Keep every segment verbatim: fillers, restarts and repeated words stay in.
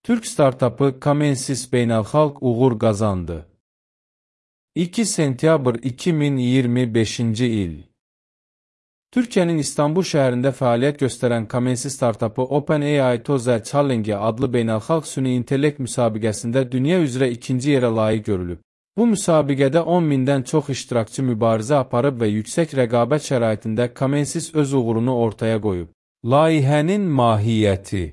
Türk startapı Kamensis beynəlxalq uğur qazandı. iki sentyabr iki min iyirmi beşinci il. Türkiyənin İstanbul şəhərində fəaliyyət göstərən Kamensis startapı OpenAI Toza Challenge adlı beynəlxalq süni intellekt müsabiqəsində dünya üzrə ikinci yerə layiq görülüb. Bu müsabiqədə on mindən çox iştirakçı mübarizə aparıb və yüksək rəqabət şəraitində Kamensis öz uğurunu ortaya qoyub. Layihənin mahiyyəti.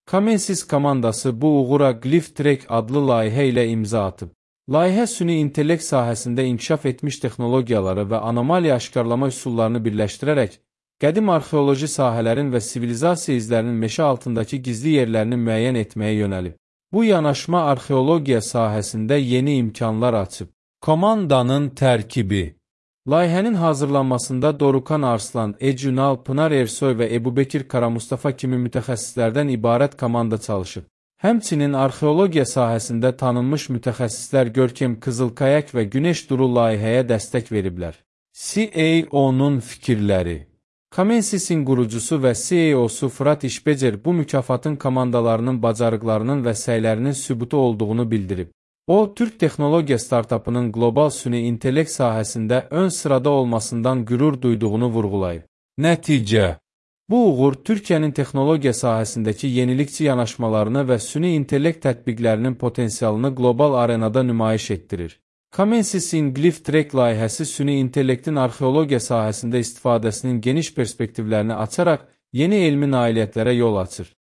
Kamensis komandası bu uğura Glyph-Trek adlı layihə ilə imza atıb. Layihə süni intellekt sahəsində inkişaf etmiş texnologiyaları və anomaliya aşkarlama üsullarını birləşdirərək, qədim arxeoloji sahələrin və sivilizasiya izlərinin meşə altındakı gizli yerlərini müəyyən etməyə yönəlib. Bu yanaşma arxeologiya sahəsində yeni imkanlar açıb. Komandanın tərkibi. Layihənin hazırlanmasında Dorukan Arslan, Ecünal, Pınar Ersoy və Ebubekir Karamustafa kimi mütəxəssislərdən ibarət komanda çalışıb. Həmçinin arxeologiya sahəsində tanınmış mütəxəssislər Görkem Qızılkayak və Günəş Duru layihəyə dəstək veriblər. C E O-nun fikirləri. Kamensis'in qurucusu və C E O-su Fırat İşbecer bu mükafatın komandalarının bacarıqlarının və səylərinin sübutu olduğunu bildirib. O, Türk texnologiya startapının qlobal süni intellekt sahəsində ön sırada olmasından qürur duyduğunu vurğulayıb. Nəticə. Bu uğur, Türkiyənin texnologiya sahəsindəki yenilikçi yanaşmalarını və süni intellekt tətbiqlərinin potensialını qlobal arenada nümayiş etdirir. Kamensis'in Glyph-Trek layihəsi süni intellektin arxeologiya sahəsində istifadəsinin geniş perspektivlərini açaraq yeni elmi nailiyyətlərə yol açır.